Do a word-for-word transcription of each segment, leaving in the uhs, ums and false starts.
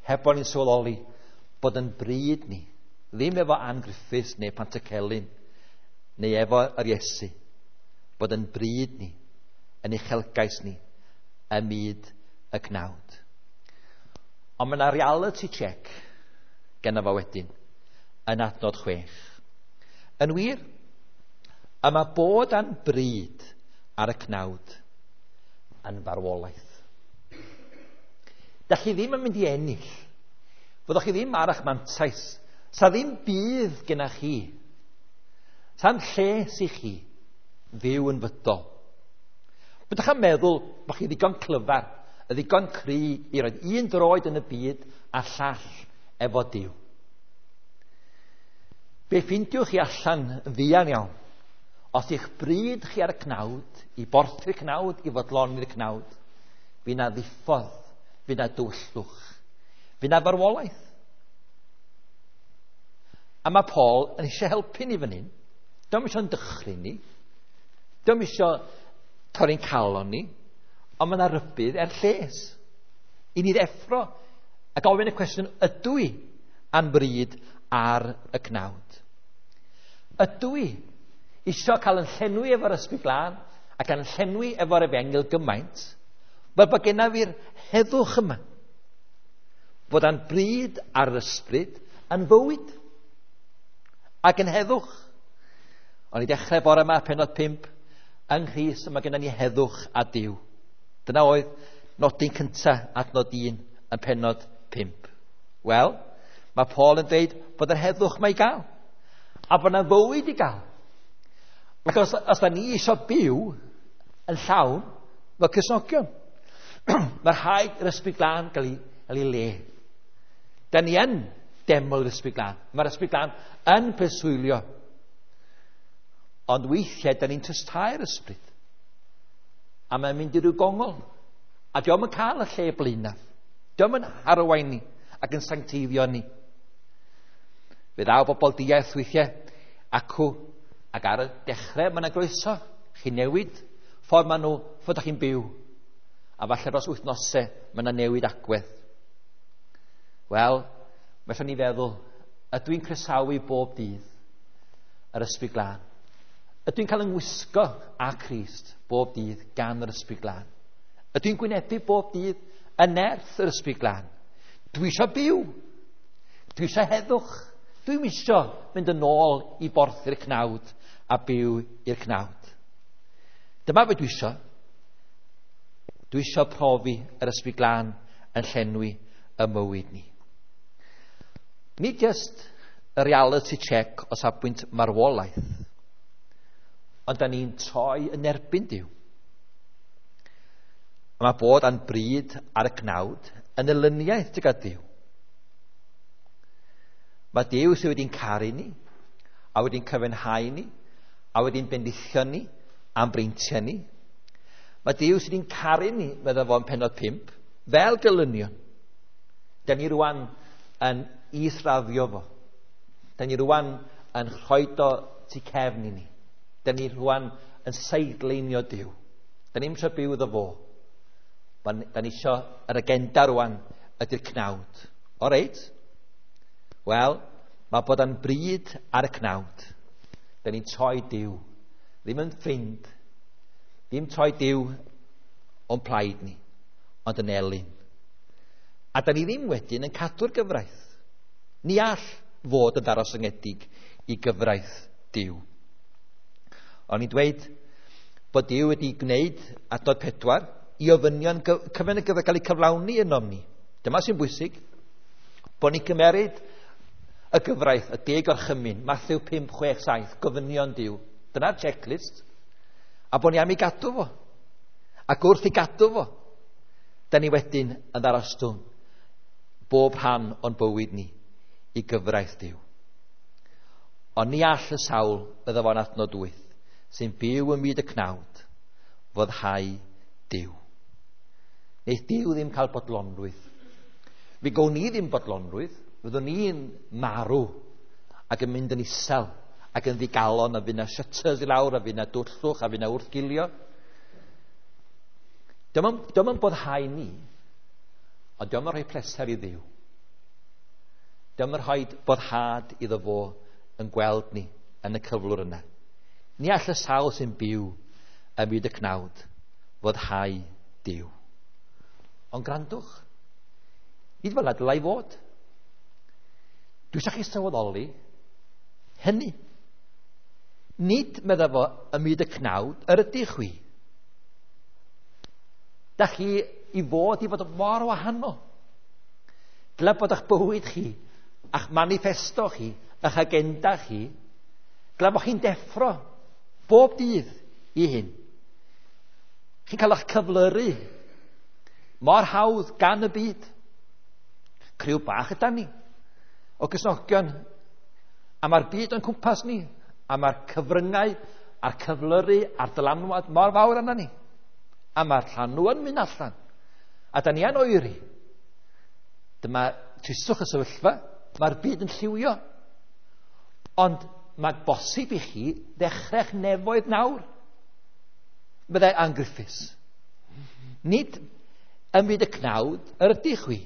Heb bod ni'n sylweddoli bod yn bryd ni, ddim efo Ann Griffiths neu Pantycelyn, neu efo yr Iesu, bod yn bryd ni, yn uchelgais ni, ym myd y cnawd. Ond mae yna reality check genna fo wedyn, yn adnod chwech. Yn wir, y mae bod a'n bryd ar y cnawd yn farwolaeth. Da chi ddim yn mynd i ennill. Fyddwch chi ddim ar eich mantais. Sa ddim budd genna chi. Sa'n lles i chi fyw yn fydol. Byddwch chi'n meddwl bod chi ddigon clyfar, y ddigon cry i roed un droed yn y byd a llall efo Duw. Be ffindiwch chi allan yn fuan iawn, os eich bryd chi ar y cnawd, i borthu'r cnawd, i fodloni'r cnawd, fi na ddiffodd, fi na dwyllwch, fi na farwolaeth. A mae Paul yn eisiau helpu ni fan hyn. Dio'm eisiau'n dychryn ni. Dio'm eisiau torri'n calon ni. Ond mae yna rybudd er lles. I ni ddeffro a gofyn y cwestiwn, ydw i a'n bryd ar y cnawd? Ydw i eisiau cael yn llenwi efo'r Ysbryd Glân ac yn llenwi efo'r Efengyl gymaint, fel bod genna fi'r heddwch yma, bod a'n bryd ar yr ysbryd yn fywyd ac yn heddwch. O'n i dechrau bore yma, pennod pump, yng Nghrist mae genna ni heddwch a Duw. Dyna oedd nodyn cyntaf adnod un yn pennod pump. Wel, mae Paul yn dweud bod yr heddwch mae i gael, a bod yna fywyd i gael. Ac os, os da ni eisiau byw yn llawn fel Cristnogion, mae rhaid i'r Ysbryd Glân gael ei, gael ei le. Da ni yn deml yr Ysbryd Glân. Mae'r Ysbryd Glân yn preswylio. Ond weithiau, da ni'n tystau'r ysbryd. A mae'n mynd i ryw gongol. A dio'm yn cael y lle blaenaf. Dio'm yn arwain ni ac yn sancteiddio ni. Fe ddaw bobl diaith weithiau acw, ac ar y dechrau mae yna groeso. Chi'n newid ffordd maen nhw, ffordd ydych chi'n byw. A falle dros wythnosau mae yna newid agwedd. Wel, mae eisiau ni feddwl, ydw i'n croesawu bob dydd yr Ysbryd Glân? Ydw i'n cael yng ngwisgo â Christ bob dydd gan yr Ysbryd Glân? Ydw i'n gwynebu bob dydd y nerth yr Ysbryd Glân? Dwi eisiau byw. Dwi eisiau heddwch. Dwi'm eisiau mynd yn ôl i borthu'r cnawd a byw i'r cnawd. Dyma beth dwi eisiau. Dwi eisiau profi yr Ysbryd Glân yn llenwi y mywyd ni. Nid just y reality check o safbwynt marwolaeth, ond da ni'n troi yn erbyn Duw. A mae bod a'n bryd ar y cnawd yn elyniaeth tuag at Dduw. Mae Duw sydd wedi'n caru ni, a wedi'n cyfiawnhau ni, a wedi'n bendithio ni, a'n breintiau ni. Mae Duw sydd wedi'n caru ni, medda fo yn pennod pump, fel gelynion. Da ni rwan yn israddio fo. Da ni rwan yn rhoid o tu cefn i ni. Da ni rwan yn sidelinio Duw. Da ni'n eisiau byw iddo fo. Da ni eisiau yr agenda rwan ydy'r cnawd. O reit? Wel, mae bod yn bryd ar y cnawd. Da ni'n troi Duw. Ddim yn ffrind. Ddim troi Duw o'n plaid ni, ond yn elyn. A da ni ddim wedyn yn cadw'r gyfraith. Ni all fod yn ddarostyngedig i gyfraith Duw. O'n i'n dweud bod Duw wedi gwneud adnod pedwar i ofynion cyfan y gyfraith gael eu cyflawni ynom ni. Dyma sy'n bwysig. Bod ni'n cymeryd y gyfraith, y deg orchymyn, Mathew pump, chwech, saith, gofynion Duw. Dyna'r checklist. A bod ni am ei gadw fo. Ac wrth i gadw fo, da ni wedyn yn ddarostwng bob rhan o'n bywyd ni i gyfraith Duw. Ond ni all y sawl, bydda fo'n adnod wyth, sy'n byw ym myd y cnawd, foddhau Duw. Neith Duw ddim cael bodlonrwydd. Fe gawn ni ddim bodlonrwydd, fyddwn ni'n marw ac yn mynd yn isel ac yn ddigalon, a fydd na shutters i lawr, a fydd na dwllwch, a fydd na wrthgilio. Dio'm yn boddhau ni, ond dio'm yn rhoi pleser i Dduw. Dyma'n rhoi boddhad iddo fo yn gweld ni yn y cyflwr yna. Ni all y sawl sy'n byw ym myd y cnawd foddhau Duw. Ond grandwch, nid fel 'na dylai fod. Dwi eisiau chi sylweddoli hynny. Nid, medda fo, ym myd y cnawd yr ydych chwi. Da chi i fod i fod mor wahanol. Dyle bod eich bywyd chi, a'ch manifesto chi, a'ch agenda chi, dyle bod chi'n deffro bob dydd i hyn. Chi'n cael eich cyflyru mor hawdd gan y byd. Criw bach ydan ni o Gristnogion, a mae'r byd o'n cwmpas ni, a mae'r cyfryngau a'r cyflyru a'r dylanwad mor fawr arna ni. A mae'r llanw yn mynd allan. A da ni yn oeri. Dyma tristwch y sefyllfa. Mae'r byd yn lliwio. Ond mae bosib i chi ddechrau'ch nefoedd nawr, meddai Ann Griffiths. Nid ym myd y cnawd yr ydych chwi,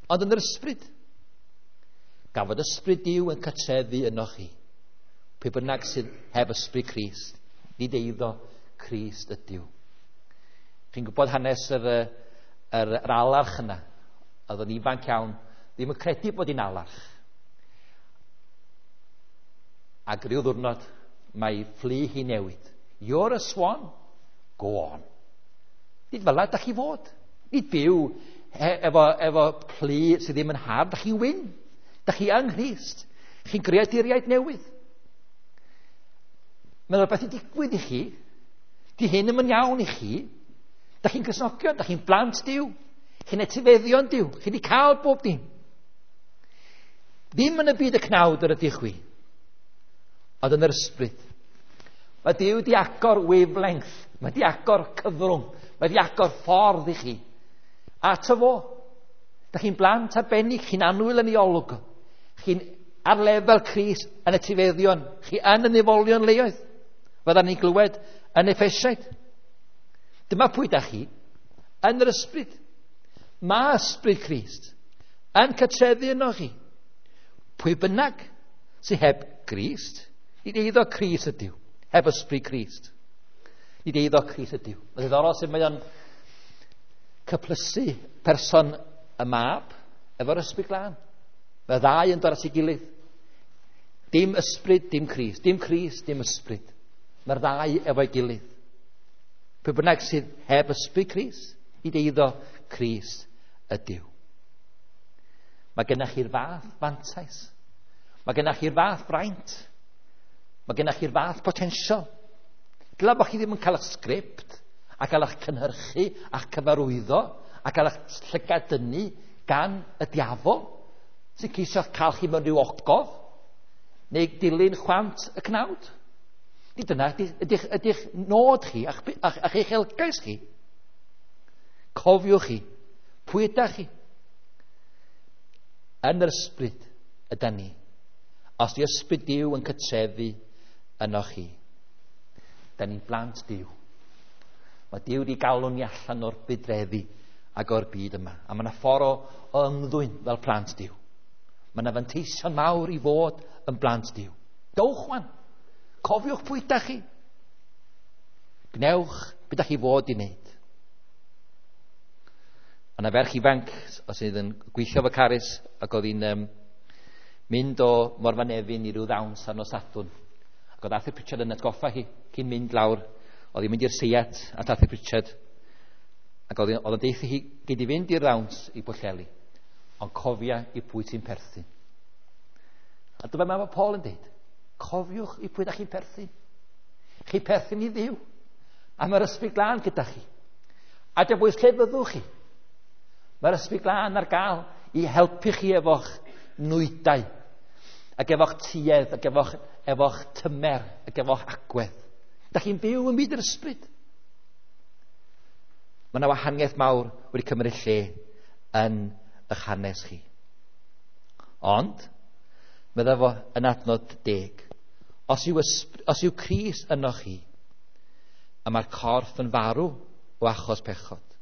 ond yn yr ysbryd. Gan fod ysbryd Duw yn cartrefu ynoch chi. Pwy bynnag sydd heb ysbryd Crist, nid eiddo Crist ydyw. Chi'n gwybod hanes yr, yr, yr alarch yna. Oedd yn ifanc iawn, ddim yn credu bod hi'n alarch. Ac ryw ddiwrnod, mae fflu hi newid. You're a swan, go on. Nid fel 'na da chi fod. Nid byw efo, efo plu sydd ddim yn hardd. Da chi'n wyn. Da chi yng Nghrist. Chi'n greaduriaid newydd. Mae'n rhywbeth i digwydd i chi. Di hyn ddim yn iawn i chi. Da chi'n Gristnogion, da chi'n blant Duw. Chi'n etifeddion Duw. Chi wedi cael bob dim. Ddim yn y byd y cnawd yr ydych chwi, ond yn yr ysbryd. Mae Duw di agor wavelength. Mae di agor cyfrwng. Mae di agor ffordd i chi. Ato fo. Da chi'n blant arbennig, chi'n annwyl yn ei olwg. Chi'n ar lefel Crist yn etifeddion. Chi yn y nefolion leoedd. Fyddan ni'n glywed yn Effesiaid. Dyma pwy da chi yn yr ysbryd. Mae ysbryd Crist yn cartrefu yno chi. Pwy bynnag sydd heb Grist, nid eiddo Crist ydyw, heb ysbryd Crist. Nid eiddo Crist ydyw. Mae'n ddiddorol sut mae o'n cyplysu person y mab efo'r ysbryd glân. Mae ddau yn dod at ei gilydd. Dim ysbryd, dim Crist. Dim Crist, dim ysbryd. Mae'r ddau efo'i gilydd. Pwy bynnag sydd heb ysbryd Crist, nid eiddo Crist ydyw. Mae gennych chi'r fath fantais. Mae gennych chi'r fath fraint. Mae gennych chi'r fath potensial. Dyla bod chi ddim yn cael eich sgript a cael eich cynhyrchu a'ch cyfarwyddo a cael eich llygad dynnu gan y diafol sy'n ceisio cael chi mewn rhyw ogof neu dilyn chwant y cnawd. Nid dyna ydych, ydych nod chi a'ch, a'ch, a'ch uchelgais chi. Cofiwch chi, pwy ydych chi? Yn yr ysbryd ydan ni. Os di ysbryd Duw yn cartrefu yno chi, da ni'n blant Duw. Mae Duw wedi galw ni allan o'r budreddi ac o'r byd yma. A mae yna ffordd o, o ymddwyn fel plant Duw. Mae yna fanteision mawr i fod yn blant Duw. Dowch wan. Cofiwch pwy ydych chi. Gwnewch beth ydych chi fod i wneud. Yna ferch ifanc sydd yn gweithio efo Carys ac oedd hi'n um, mynd o Morfa Nefyn i ryw ddawns ar nos Sadwrn. Ac oedd Arthur Pritchard yn atgoffa hi cyn mynd lawr. Oedd hi'n mynd i'r seiat at Arthur Pritchard. Ac oedd o'n deithio hi gyd i fynd i'r ddawns i Bwllheli. Ond cofia i pwy ti'n perthyn. A dyma mae Paul yn deud. Cofiwch i pwy ydych chi'n perthyn. Chi perthyn i Dduw. A mae'r ysbryd glân gyda chi. A dim bwys lle fyddwch chi. Mae'r ysbryd glân ar gael i helpu chi efo'ch nwydau, ac efo'ch tuedd, ac efo'ch, efo'ch tymer, ac efo'ch agwedd. Da chi'n byw ym myd yr ysbryd. Mae yna wahaniaeth mawr wedi cymryd lle yn eich hanes chi. Ond, medda fo yn adnod deg, os yw, ysbr- os yw Crist yno chi, a mae'r corff yn farw o achos pechod,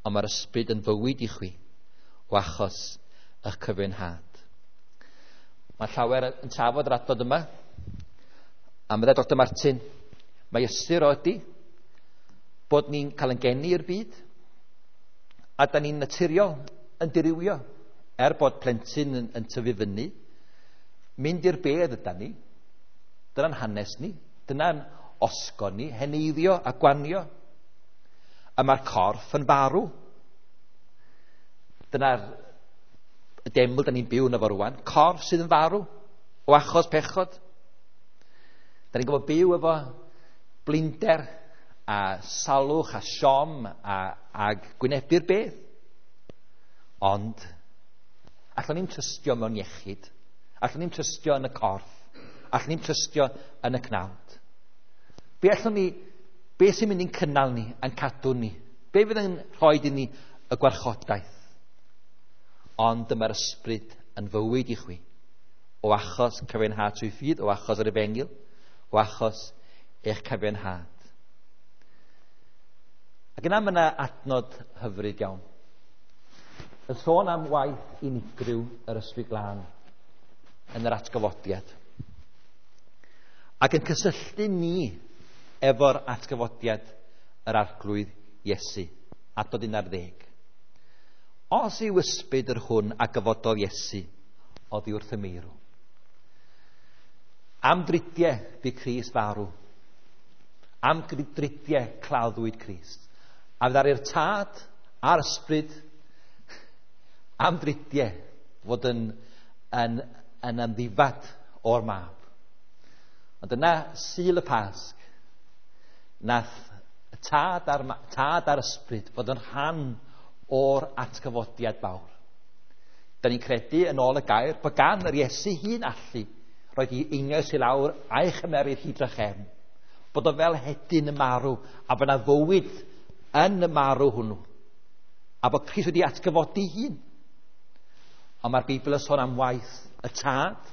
ond mae'r ysbryd yn fywyd i chwi o achos eich cyfiawnhad. Mae llawer yn trafod yr adnod yma. A meddai Doctor Martin, mae ystyr o ydy bod ni'n cael ein geni i'r byd a da ni'n naturiol yn dirywio. Er bod plentyn yn, yn tyfu fyny, mynd i'r bedd yda ni. Dyna'n hanes ni, dyna'n osgo ni, heneiddio a gwanio. A mae'r corff yn farw. Dyna'r deml da ni'n byw yno fo rwan. Corff sydd yn farw o achos pechod. Da ni'n gwybod byw efo blinder a salwch a siom a, a gwynebu'r bedd. Ond allwn ni'n trystio mewn iechyd, allwn ni'n trystio yn y corff, allwn ni'n trystio yn y cnawd. Be allwn ni, be sy'n mynd i'n cynnal ni, a'n cadw ni? Be fydd yn rhoi i ni y gwarchodaeth? Ond dyma'r ysbryd yn fywyd i chwi, o achos cyfiawnhad trwy ffydd, o achos yr efengyl, o achos eich cyfiawnhad. Ac yna mae yna adnod hyfryd iawn. Yn sôn am waith unigryw yr Ysbryd Glân yn yr atgyfodiad. Ac yn cysylltu ni efo'r atgyfodiad yr Arglwydd Iesu, adnod un ar ddeg. Os yw ysbryd yr hwn a gyfododd Iesu oddi wrth y meirw. Am dridiau bu Crist farw. Am dridiau claddwyd Crist. A fydda'r Tad a'r Ysbryd am dridiau fod yn, yn, yn amddifad o'r mab. Ond yna Sul y Pasg, nath y Tad a'r, tad a'r Ysbryd fod yn rhan o'r atgyfodiad fawr. Da ni'n credu yn ôl y gair bod gan yr Iesu hun allu roed i einioes i lawr a'i chymeryd hi drachefn. Bod o fel hedyn y marw a bod yna fywyd yn y marw hwnnw. A bod Crist wedi atgyfodi hun. Ond mae'r Beibl yn sôn am waith y Tad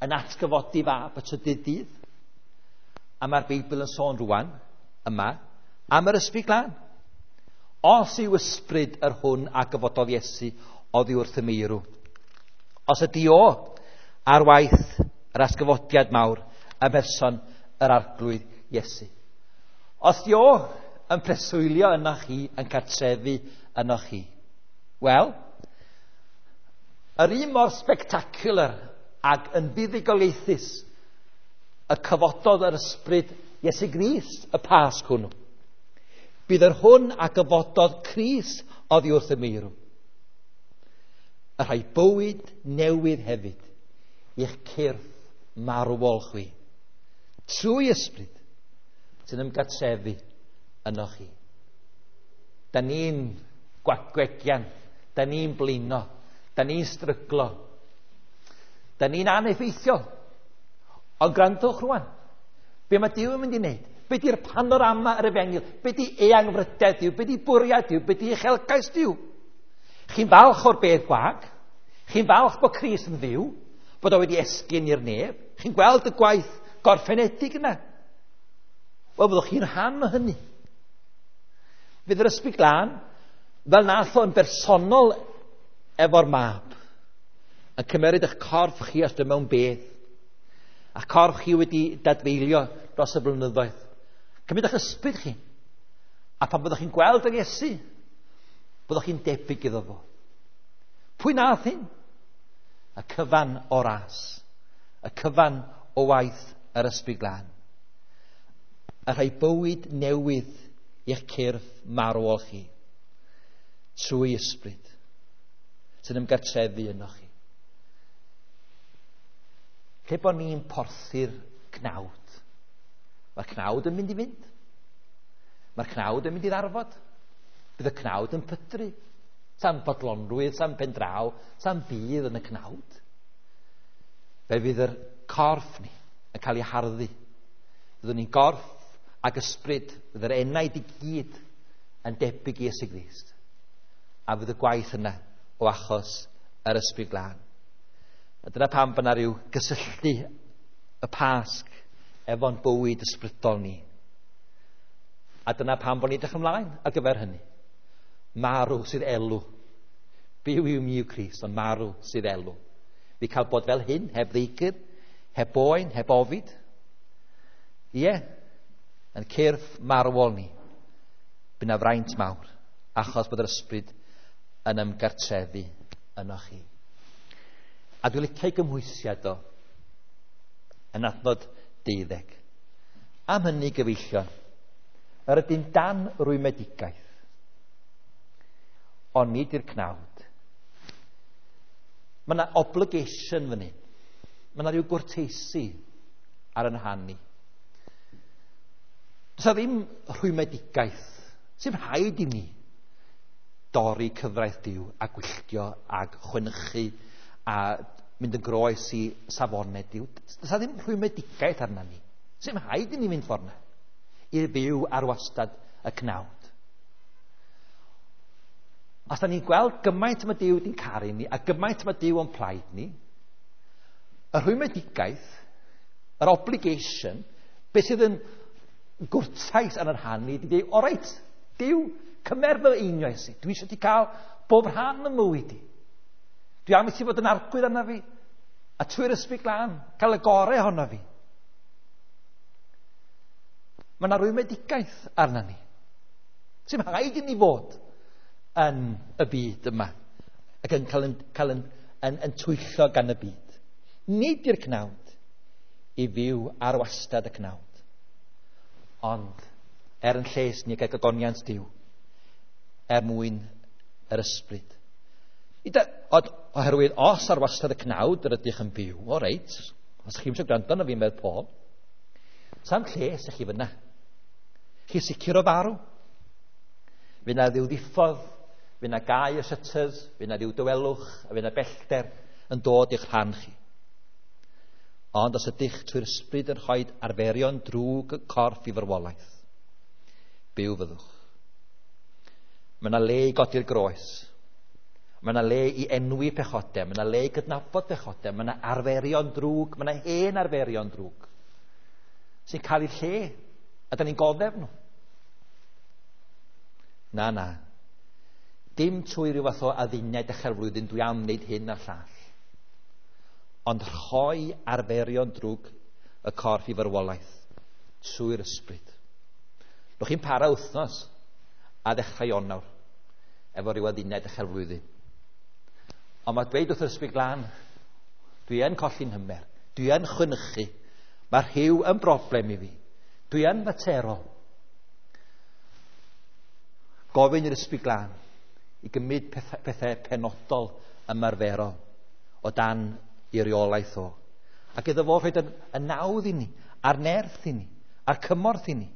yn atgyfodi fab y trydydd dydd. A mae'r Beibl yn sôn rwan yma am yr Ysbryd Glân. Os yw ysbryd yr hwn a gyfododd Iesu oddi wrth y meirw. Os ydy o ar waith yr atgyfodiad mawr ym mherson yr Arglwydd Iesu. Os ydy o yn preswylio yno chi, yn cartrefu yno chi. Wel, yr un mor spectacular ac yn fuddugoliaethus y cyfododd yr ysbryd Iesu Grist y Pasg hwnnw. Bydd yr hwn a gyfododd Crist oddi wrth y meirw. Y rhai bywyd newydd hefyd i'ch cyrff marwol chwi. Trwy ysbryd sy'n ymgartrefu yno chi. Da ni'n gwagwegian, da ni'n blino, da ni'n stryglo, da ni'n aneffeithiol. Ond gwrandwch rwan, be mae Duw yn mynd i wneud? Be di'r panorama yr efengyl? Be di eangfrydedd Duw? Be di bwriad Duw? Be di uchelgais Duw? Chi'n falch o'r bedd gwag? Chi'n falch bod Crist yn fyw? Bod o wedi esgyn i'r nef? Chi'n gweld y gwaith gorffenedig yna? Wel, byddwch chi'n rhan o hynny. Fydd yr Ysbryd Glân, fel nath o'n bersonol efo'r mab, yn cymeryd eich corff chi os mewn bedd, a corff chi wedi dadfeilio dros y blynyddoedd. Cymryd eich ysbryd chi. A pan byddwch chi'n gweld yr Iesu, byddwch chi'n debyg iddo fo. Pwy nath hyn? Y cyfan o ras. Y cyfan o waith yr Ysbryd Glân. A rhai bywyd newydd i'ch cyrff marwol chi. Trwy ysbryd sy'n ymgartrefu yno chi. Lle bod ni'n porthu'r cnawd, mae'r cnawd yn mynd i fynd. Mae'r cnawd yn mynd i ddarfod. Bydd y cnawd yn pydru. Sa'n bodlonrwydd, sa'n pendraw, sa'n bydd yn y cnawd. Fe fydd yr corff ni yn cael ei harddu. Byddwn ni'n gorff ac ysbryd, fydd yr enaid i gyd yn debyg i Iesu Grist. A fydd y gwaith yna o achos yr Ysbryd Glân. A dyna pam bod yna rhyw gysylltu y Pasg efo'n bywyd ysbrydol ni. A dyna pam bod ni'n edrych ymlaen ar gyfer hynny. Marw sydd elw, Byw yw mi yw Crist, ond marw sydd elw. Fi cael bod fel hyn, heb ddeigr, heb boen, heb ofid. Ie, yn cyrff marwol ni, by na fraint mawr, achos bod yr ysbryd yn ymgartrefu yno chi. A dwi'n licio ei gymhwysiad o yn adnod deuddeg. Am hynny, gyfeillion, yr ydym dan rwymedigaeth, ond nid i'r cnawd. Mae yna obligation fan hyn. Mae yna rhyw gwrteisi ar yn rhan ni. Does 'na ddim rhwymedigaeth. Sy'n rhaid i ni dorri cyfraith Duw a gwylltio ag chwenychu a mynd yn groes i safonau Duw. Does 'na ddim rhwymedigaeth arna ni. Sy'n rhaid i ni fynd ffordd 'na i fyw ar wastad y cnawd. Os da ni'n gweld gymaint mae Duw wedi'n caru ni a gymaint mae Duw o'n plaid ni, y rhwymedigaeth, yr obligation, beth sydd yn gwrtais ar yr rhan ni, di dweud, o reit, Duw, cymer fy einioes i. Dwi eisiau ti cael bob rhan ym mywyd i. Dwi am i ti fod yn arglwydd arna fi, a trwy'r Ysbryd Glân, cael y gorau ohono fi. Mae yna rwymedigaeth arna ni. Sy'n rhaid i ni fod yn y byd yma ac yn cael yn, cael yn, yn, yn twyllo gan y byd. Nid i'r cnawd i fyw ar wastad y cnawd, ond er yn lles ni ac ogoniant Duw, er mwyn yr ysbryd. Oherwydd os ar wastad y cnawd yr ydych yn byw, o reit, os chi'n eisiau gwrando arno fi, medd Paul, sa'm lles i chi fyna. Chi sicr o farw. Fydd na ddiw ddiffodd, fydd na gau y shutters, fydd na ddiw dywelwch, a fydd na bellter yn dod i'ch rhan chi. Ond os ydych trwy'r ysbryd yn rhoi arferion drwg y corff i farwolaeth, byw fyddwch. Mae yna le i godi'r groes. Mae yna le i enwi pechodau, mae yna le i gydnabod pechodau, mae yna arferion drwg, mae yna hen arferion drwg sy'n cael eu lle, a da ni'n goddef nhw. Na, na. Dim trwy ryw fath o adduned dechrau'r flwyddyn, dwi am wneud hyn a'r llall. Ond rhoi arferion drwg y corff i farwolaeth trwy'r ysbryd. Nwch chi'n para wythnos a ddechrau Ionawr efo ryw adduned dechrau'r flwyddyn. Ond mae dweud wrth yr Ysbryd Glân, dwi yn colli'n hymer, dwi yn chwynychu, mae rhyw yn broblem i fi, dwi yn faterol. Gofyn i'r Ysbryd Glân i gymryd pethau, pethau penodol ymarferol o dan i reolaeth o. Ac iddo fo rhoi y nawdd i ni, a'r nerth i ni, a'r cymorth i ni,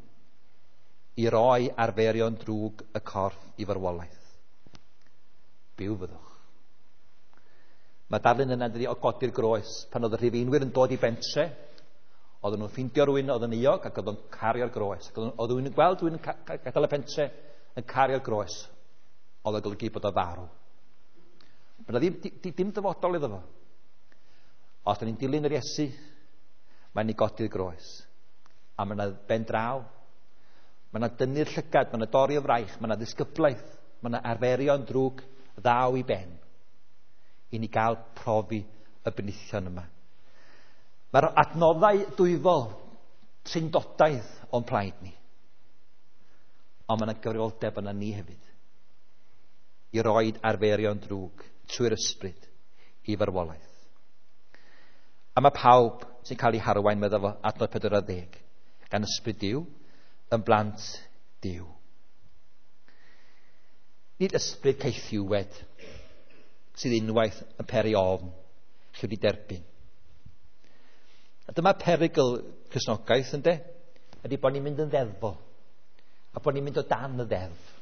i roi arferion drwg y corff i farwolaeth. Byw fyddwch. Mae darlun yna dydi o godi'r groes. Pan oedd y Rhufeinwyr yn dod i bentre, oedden nhw'n ffeindio rhywun oedd yn euog ac oedd o'n cario'r groes. Ac oedd rhywun yn gweld rhywun yn gadael y pentre yn cario'r groes, oedd o'n golygu bod o farw. Mae yna ddim, dim dyfodol iddo fo. Os da ni'n dilyn yr Iesu, mae'n ni godi'r groes. A mae yna ben draw, mae yna dynnu'r llygad, mae yna dorri o fraich, mae yna ddisgyblaeth, mae yna arferion drwg ddaw i ben i ni gael profi y benithion yma. Mae'r adnoddau dwyfol trindodaidd o'n plaid ni. Ond mae yna gyfrifoldeb yna ni hefyd i roed arferion drwg trwy'r ysbryd i farwolaeth. A mae pawb sy'n cael ei harwain, meddwl fo, adnod pedwar ar ddeg, gan ysbryd Duw, yn blant Duw. Nid ysbryd caethiwed sydd unwaith yn peri ofn chi wedi derbyn. A dyma perygl Cristnogaeth, ynde? Ydy bod ni'n mynd yn ddeddfol, a bod ni'n mynd o dan y ddeddf.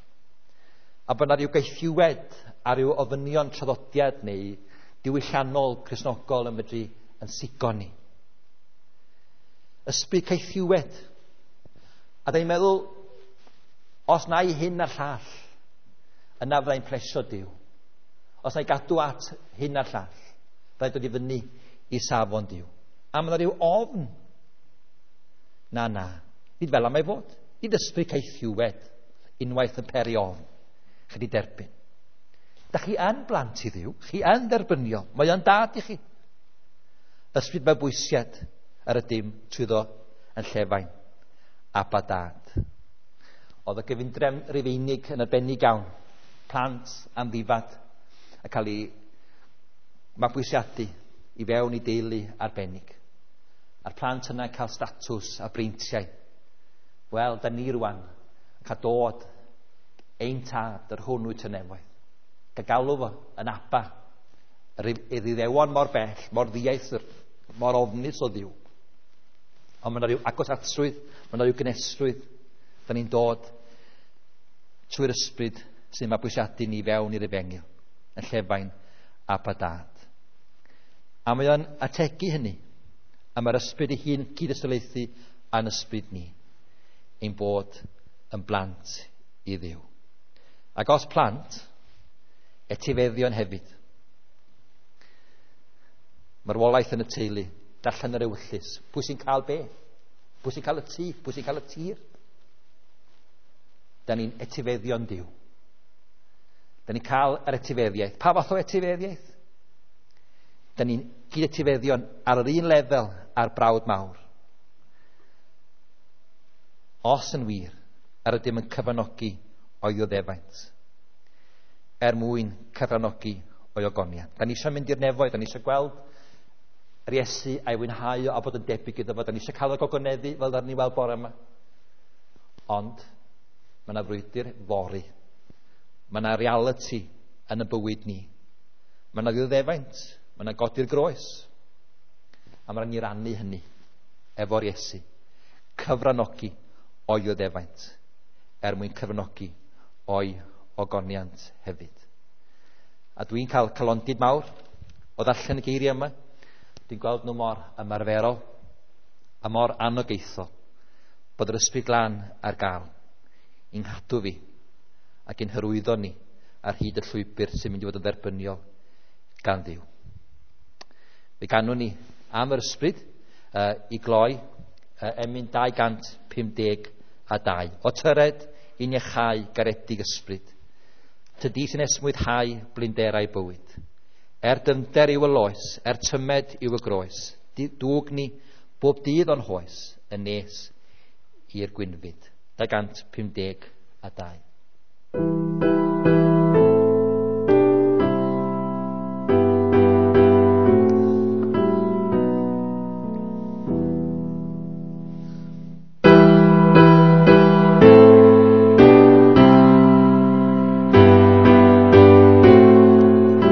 A bod yna rhyw gaethiwed a rhyw ofynion traddodiad neu diwylliannol Cristnogol yn medru yn sigo ni. Ysbryd caethiwed. A da ni'n meddwl, os na i hyn a'r llall, yna fyddai'n plesio Duw. Os na i gadw at hyn a'r llall, fyddai'n dod i fyny i safon Duw. A mae yna rhyw ofn. Na, na. Nid fel am ei fod. Nid ysbryd caethiwed unwaith yn peri ofn. Chi wedi derbyn. Da chi yn blant i Dduw, chi yn dderbyniol, mae o'n dad i chi. Ysbryd mabwysiad yr ydym trwyddo yn llefain, Abba Dad. Oedd y gyfundrefn Rufeinig yn arbennig iawn, plant amddifad, a cael ei mabwysiadu i fewn i deulu arbennig. A'r plant yna cael statws a breintiau. Wel, da ni rwan yn cael dod ein tad yr hwn wyt yn nefoedd. Cael galw fo yn Abba. Yr Iddewon mor bell, mor ddieithr, mor ofnus o Dduw. Ond mae yna rhyw agosatrwydd, mae yna rhyw gnesrwydd. Da ni'n dod trwy'r ysbryd sy'n mabwysiadu ni fewn i'r efengyl, yn llefain Abba Dad. A mae o'n ategu hynny, a mae'r ysbryd ei hun cyd-ystylaethu a'n ysbryd ni, ein bod yn blant i Dduw. Ac os plant, etifeddion hefyd. Marwolaeth yn y teulu, darllen yr ewyllys. Pwy sy'n cael be? Pwy sy'n cael y tŷ? Pwy sy'n cael y tir? Da ni'n etifeddion Duw. Da ni'n cael yr etifeddiaeth. Pa fath o etifeddiaeth? Da ni'n gyd-etifeddion ar yr un lefel a'r brawd mawr. Os yn wir, yr ydym yn cyfranogi o'i ddioddefaint, er mwyn cyfranogi o'i ogoniant. Da ni eisiau mynd i'r nefoedd, da ni eisiau gweld yr Iesu a'i fwynhau o a bod yn debyg iddo fo. Da ni eisiau cael y gogoneddu fel ddaru ni weld bore yma. Ond mae yna frwydr fory. Mae yna reality yn y bywyd ni. Mae yna ddioddefaint, mae yna godi'r groes. A mae rhaid ni rannu hynny efo'r Iesu. Cyfranogi o'i ddioddefaint er mwyn cyfranogi o'i ogoniant hefyd. A dwi'n cael calondid mawr o ddarllen y geiriau yma. Dwi'n gweld nhw mor ymarferol a mor anogaethol bod yr Ysbryd Glân ar gael i'n nghadw fi ac i'n hyrwyddo ni ar hyd y llwybr sy'n mynd i fod yn dderbyniol gan Dduw. Fe ganwn ni am yr ysbryd uh, i gloi uh, emyn dau gant pum deg a dau. O tyred i'n iachau garedig ysbryd, tydi sy'n esmwythau blinderau bywyd. Er dyfnder yw y loes, er tymed yw y groes, dwg ni bob dydd o'n hoes yn nes i'r gwynfyd. dau gant pum deg a dau.